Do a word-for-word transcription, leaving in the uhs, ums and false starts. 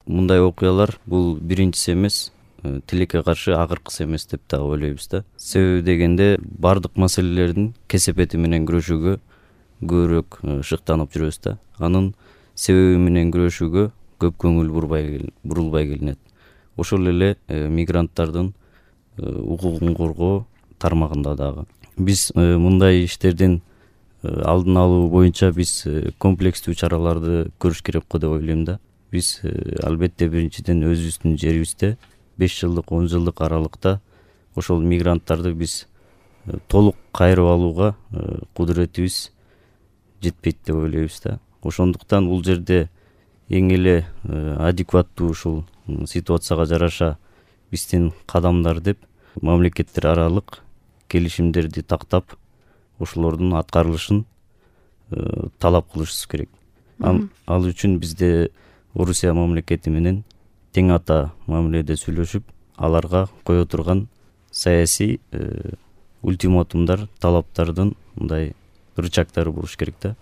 мындай окуялар бул биринчиси эмес, тилекке каршы акыркысы эмес деп дагы ойлойбуз да. Себеби дегенде бардык маселелердин кесепети менен күрөшүүгө көбүрөөк шыктанып жүрөбүз да. Анын себеби менен күрөшүүгө көп көңүл бурбай бурулбай келинет. Ошол эле мигранттардын укугун коргоо тармагында дагы биз мындай иштердин алдын алуу боюнча биз комплекстүү чараларды көрүш керек го деп ойлойм да. Биз албетте биринчиден өзүбүздүн жерибизде беш жылдык он жылдык аралыкта ошол мигранттарды биз толук кайрып алууга кудуретибиз жетпейт деп ойлойбуз да. Ошондуктан бул жерде эң эле адекваттуу ушул ситуацияга жараша биздин кадамдар деп мамлекеттер аралык келишимдерди тактап ошолордун аткарылышын талап кылышыбыз керек. Ал үчүн бизде Орусия мамлекети менен тең ата мамиледе сүйлөшүп, аларга кое турган саясий ультиматумдар, талаптардын мындай рычагдары болуш керек да.